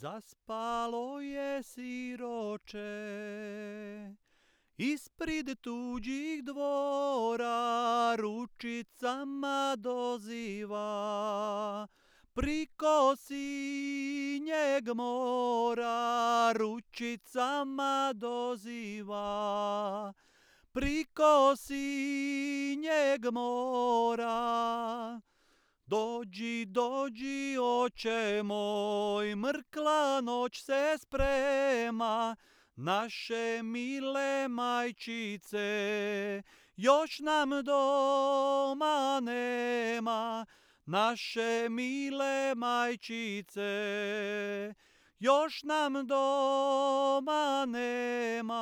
Zaspalo je siroče, ispred tuđih dvora ručicama doziva. Priko sinjeg mora ručicama doziva. Priko sinjeg mora. Dođi, dođi, oče moj, mrkla noć se sprema, naše mile majčice, još nam doma nema. Naše mile majčice, još nam doma nema.